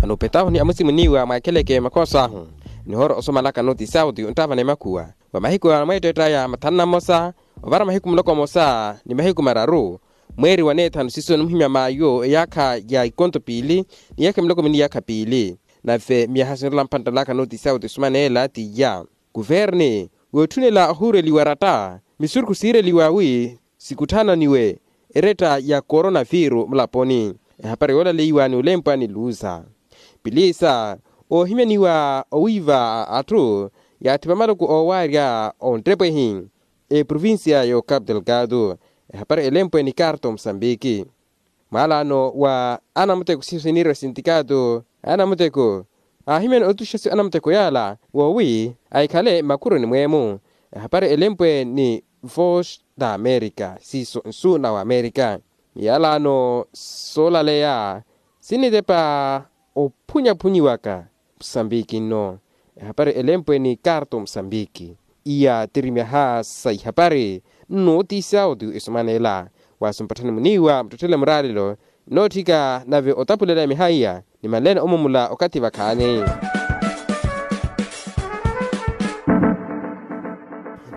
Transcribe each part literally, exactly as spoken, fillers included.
Vano opetahu ni amusimuniwa mwaakeleke makhoso ahu, nihoora osomalaka noti sauti onttaavana emakhuwa wa mahiku a mweetteett'aya mathanu na mmosa ovara mahiku muloko mmosa ni mahiku mararu, mweeri wa neethanu siiso nimuhimya maayo eyaakha ya ikonto piili ni yaakha miloko mini yaakha piili. Nave myaha sinrola mpanttalaka noti sauti osumaneela t'iya kuverni wootthunela ohuureliwa eratta misurukhu siireliwa wi sikutthananiwe eretta ya koronaviru mulaponi. Ehapari yoolaleiwa ni olempwa ni luza pilisa oohimyaniwa owiiva a atthu yaathi va maluku oowaarya onttepwehi eprovincia y'ocapu delgado. Ehapari elempwe ni carto musambiki mwaalano wa anamuteko siyo siniirya sintikato anamuteko aahimyana otuxa siyo anamuteko yaala woowi ahikhale mmakhuruni mweemu. Ehapari elempwe ni vox da america siiso nsu na wamerika. Miyalano soolaleya sinitepa ophunyaphunyiwaka musambiki nno. Ehapari elempwe ni carto musambiki iya tiri myaha sa ihapari nno otiisa oti esumanela waasi mpatthani muniiwa muttetthele muraalelo nnootthika nave otapulela myaha iya. Nimanleene omumula okathi vakhaani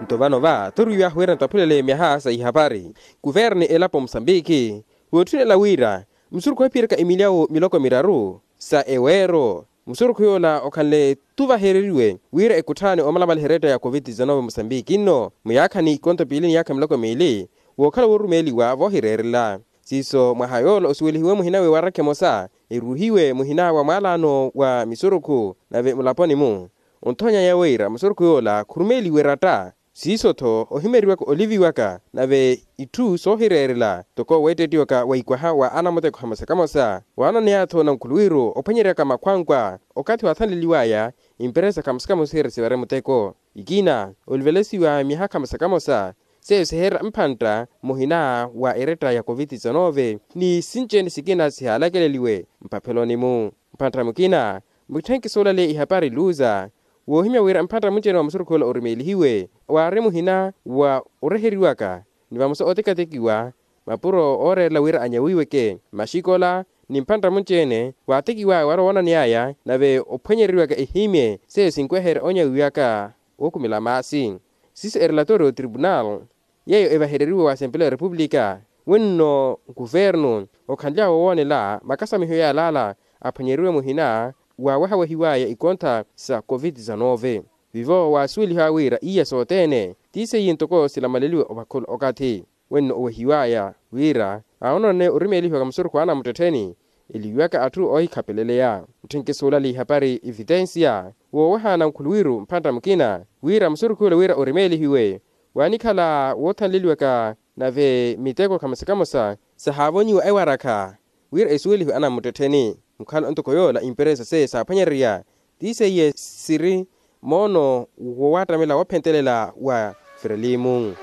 nto vano va turiwiwahu wira ntaphulele myaha sa ihapari kuverni elapo musambiki wootthunela wira musurukhu ohiphiyeraka emilyawu miloko miraru sa eweero musurukhu yoola okhanle tuvahereriwe wira ekutthaani omalamaliha eretta ya covid dix-nove musambiki nno muyaakhani ikonto piili ni yaakha miloko miili wookhala woorumeeliwa voohireerela. Siiso mwaha yoola osuwelihiwe muhina wewarakha emosa eruuhiwe muhina wa mwaalano wa misurukhu nave mulaponi-mu onthoonyaya wira musurukhu yoola khurumeeliwe eratta siiso-tho ohimyeriwaka oliviwaka nave itthu soohireerela ntoko weettettiwaka wa ikwaha wa anamuteko hamosa kamosa waananeya-tho nankhuluwiru ophwanyeryaka makhwankwa okathi waathanleliwaya imperesa kamosa kamosa siiri sivare muteko ikina olivelesiwa myaha kamosa kamosa seiyo siheerya mphantta muhina wa eretta ya covid dix-nove ni sinci-ene sikina sihaalakeleliwe mpapheloni-mu. Mphantta mukina mutthenki soolaleya ihapari luza woohimya wira mphantta munci-ene wa musurukhu yoola orumeelihiwe waari muhina wa oreheriwaka ni vamosa ootekatekiwa mapuro ooreerela wira anyawiweke maxikola ni mphantta munci-ene waatekiwaya wala woonaneyaya nave ophwanyereriwaka ehimye seiyo sinkweherya onyawiwaka wookhumela maasi. Siiso erelatori y'otribunal yeeyo evahereriwe wa asempeleya ya repupulika wenno nkuvernu okhanly'awe owoonela makasamiho yaalala aphwanyeriwe muhina waawehawehiwaya ikontha sa covid dix-nove vivo waasuweliha wira iya sothene ti seiye ntoko silamaleliwe ovakhula okathi wenno owehiwaya wira aononene orimeelihiwaka musurukhu anamuttettheni eliwiwaka atthu oohikhapeleleya. Mutthenki suulale ihapari evitensiya wooweha nankhuluwiru mphantta mukina wira musurukhu yula wira orimeelihiwe waanikhala woothanleliwaka nave miteko kamosa kamosa sahaavonyiwa ewarakha wira esuwelihiwe anamuttettheni mukhala ntoko yoola imperesa seiye saaphwanyererya ti seiye siri moono wowattamela woophentelela wa frelimu.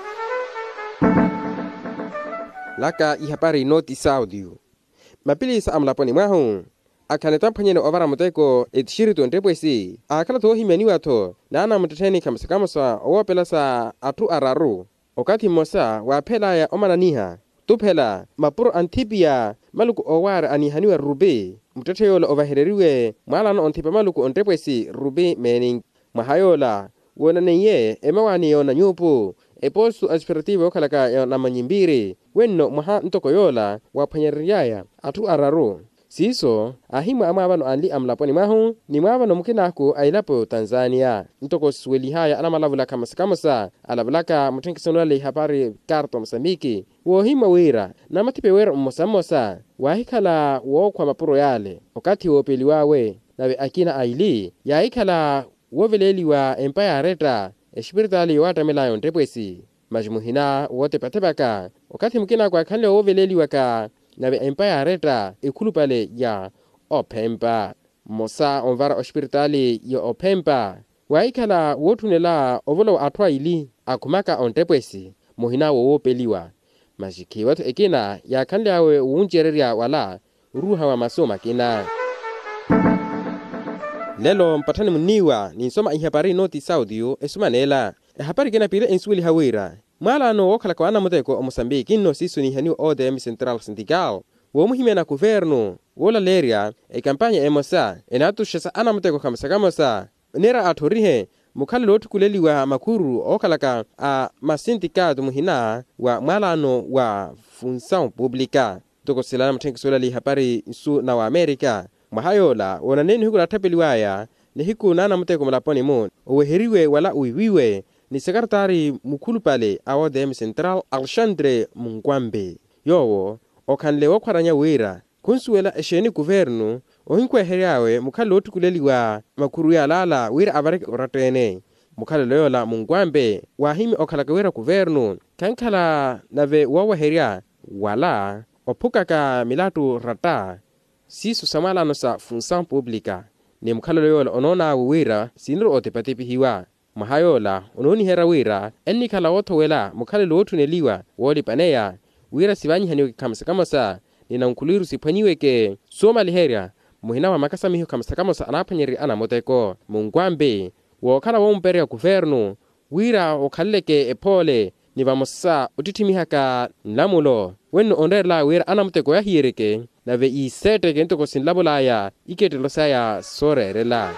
Laka ihapari noti saudio mapilisa a mulaponi mwahu akhala nitamphanyeneya ovara muteko etixiritu onttepwesi aakhala-tho woohimyaniwa-tho naanamuttettheni kamosa kamosa owoopelasa atthu araru okathi mmosa waaphelaya omananiha khutuphela mapuro anthipiya maluku oowaari aniihaniwa rupi muttetthe yoola ovahereriwe mwaalano onthipa maluku onttepwesi rupi meeni mwaha yoola woonaneiye emawaani yoona nyuupu epostu asperativo yookhalaka ya namanyimpiri wenno mwaha ntoko yoola waaphwanyereryaya atthu araru siiso aahimwa amwaavano anli a mulaponi mwahu ni mwaavano mukinaaku a elapo y'otanzaniya ntoko sisuwelihaya anamalavulaka kamosa kamosa alavulaka mutthenkiso nulale ihapari karto musambiki woohimwa wira namathipe wira mmosa mmosa waahikhala wookhwa mapuro yale okathi woopeliw'awe nave akina aili yaahikhala wooveleeliwa empa yaaretta exipiritaali yowaattamelaya onttepwesi masi muhina wootepathepaka okathi mukina kwaakhanle wooveleeliwaka nave empa yaaretta ekhulupale ya ophempa mmosa onvara oxipiritaali ya ophempa waahikhala wootthunela ovolowa atthu aili akhumaka onttepwesi muhina wowoopeliwa masi khiiwa-tho ekina yaakhanly'awe wuncererya wala oruuha wa masu makina lelo mpatthani munniiwa ninsoma ihapari nooti saudio esumaneela ehapari ekina piili ensuweliha wira mwaalano wookhalaka wa anamuteko omosambiki nno siiso niihaniwa otm central sindical woomuhimyana kuvernu woolaleerya ekampanya emosa enaatuxesa anamuteko khamosa khamosa. Oneera atthorihe mukhalelo ootthukuleliwa makhuru ookhalaka a masintikaatu muhina wa mwalaano wa funsaw publika. Ntoko silana mutthenkiso olali ihapari nsu na wamerika mwaha yoola woonaneye nihiku naattapeliwaya nihiku naanamuteko mulaponi-mu oweheriwe wala wiiwiwe ni sekartaari mukhulupale a odm central alexandre munkwambe. Yoowo okhanle wookhwaranya wira khunsuwela exeeni kuvernu ohinkhwehery'awe mukhalelo ootthukuleliwa makhuru yaalala wira avareke oratta-ene. Mukhalelo yoola munkwambe waahimya okhalaka wira kuvernu khankhala nave wooweherya wala ophukaka milattu ratta siiso sa mwalaano sa funsaw publika. Ni mukhalelo yoola onoon'awe wira siniri otipatipihiwa mwaha yoola onooniherya wira ennikhala woothowela mukhalelo wootthuneliwa woolipaneya wira sivaanyihaniwe khamosa khamosa ni nankhuluwiru siphwanyiweke soomaliherya muhina wa makasamiho khamosa khamosa anaaphwanyererye anamuteko munkwambi wookhala woomupererya kuvernu wira okhaleleke ephoole ni vamosa ottitthimihaka nlamulo wenno onreerela wira anamuteko yahiyereke nave yiiseetteke ntoko sinlavulaya ikettelo saya sooreerela.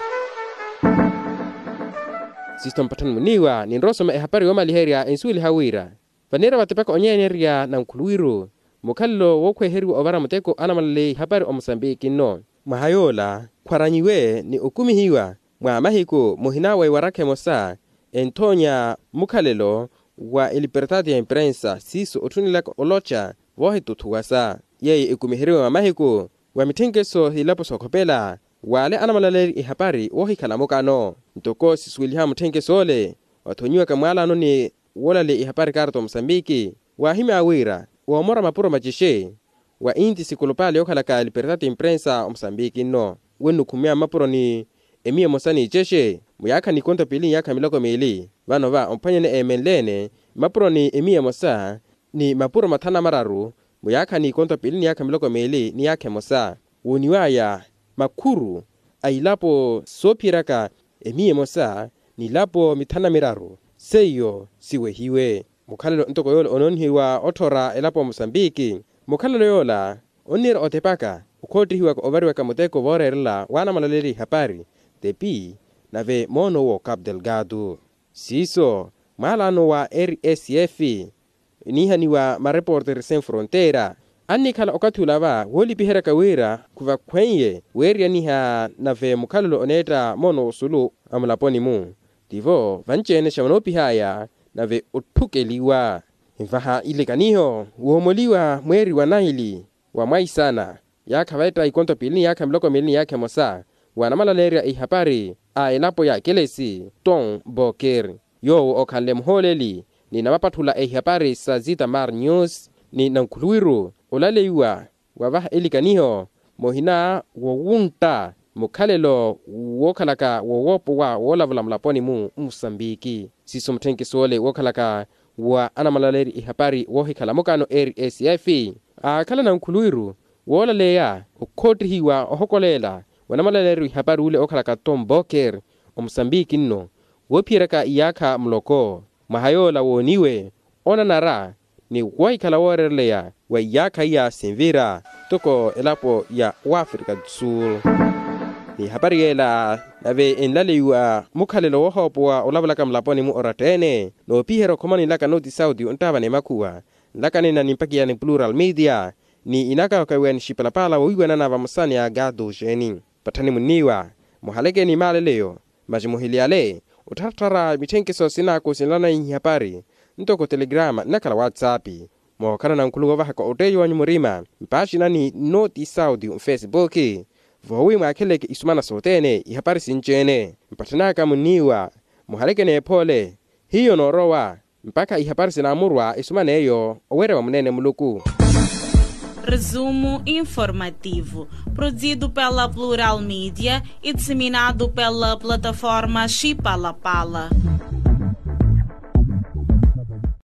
Sisto mpatthani muniiwa ninrowa osoma ehapari yoomaliherya ensuweliha wira vaniira vatepaka onyeenerya nankhuluwiru mukhalelo wookhweheriwa ovara muteko anamwalaleya ihapari omosambiki nno. Mwaha yoola khwaranyiwe ni okumihiwa mwa mahiku muhina wa ewarakha emosa enthoonya mukhalelo wa elipertati ya imprensa siiso otthunelaka oloca voohituthuwasa yeeyo ekumiheriwe mwa mahiku wa mitthenkeso siilapo sookhopela wale anamwalaleerya ihapari woohikhala mukano. Ntoko sisuweliha mutthenkeso ole wathonyiwaka mwalaano ni woolaleya ihapari karta omosambiki waahimya wira woomora mapuro macixe wa inti sikulupale yookhalaka libertad imprensa omosambiki nno wennukhumya mmapuroni emiya emosa n'icexe muyaakha n'ikonto piili n'iyaakha miloko miili vano va omphwanyene eemenleene mmapuroni emiya emosa ni mapuro mathanu na mararu muyaakha n'ikonto piili n'iyaakha miloko miili n'iyaakha emosa wooniwaya makhuru a ilapo soophiyeryaka emiya emosa n'ilapo mithanu na miraru seiyo siwehiwe. Mukhalelo ntoko yoola onoonihiwa otthora elapo ya mosambiki mukhalelo yoola onniira otepaka okhoottihiwaka ovariwaka muteko vooreerela waanamwalaleerya ihapari tepi nave moono wo capu delgado siiso mwalaano wa rsf eniihaniwa mareporter sen fronteira annikhala okathi ula va woolipiheryaka wira khuvakhweiye weeriyaniha nave mukhalelo oneetta moono osulu a mulaponi-mu tivo vanci-ene xa vanoopih'aya nave otthukeliwa nvaha ilikaniho woomoliwa mweeri wa naili wa mwaisana yaakha vetta ikonto piili n'iyaakha miloko miili n'iyaakha emosa wanamwalaleerya ihapari a elapo ya kelesi tom boker yoowo okhanle muhooleli ni namapatthula ehapari sa zita mar news ni nankhuluwiru olaleiwa wavaha elikaniho muhina wowuntta mukhalelo wookhalaka wowoopowa woolavula mulaponi-mu mmusambiki siiso mutthenkiso ole wookhalaka wa anamwalaleerya ihapari woohikhala mukano rsf aakhala nankhuluwiru woolaleya okhoottihiwa ohokoleela wanamwalaleerya ihapari ule ookhalaka tom boker omosambiki nno woophiyeryaka iyaakha muloko mwaha yoola wooniwe onanara ni woohikhala wooreereleya wa iyaakha iya sinvira ntoko elapo ya wafrika du sul n'ihapari yeela nave enlaleiwa mukhalelo woohoopowa olavulaka mulaponi-mu oratta-ene noopiherya okhoma ninlaka noti sauti onttaavana emakhuwa nlaka nina nimpakiyani plural media ni inakawakawiwani xipalapala wowiiwanana vamosa ni agado xeeni patthani munniiwa muhaleke ni maaleleyo masi muhiliyale ottharattharya mitthenkiso sinaaku sinlanaihi hapari ntoko telegrama nnakhala whatsapp mookhala nankhulu woovahaka otteeyo wanyu murima mpaaxinani noti sauti nfesibuki voowi mwaakheleke isumana sothene ihapari sinci-ene mpatthani aka munniiwa muhaleke n'ephoole hiyo noorowa mpakha ihapari sinaamurwa esuman'eyo oweerya wa muneene muluku. Resumo informativo produzido pela plural media e disseminado pela plataforma xipalapala.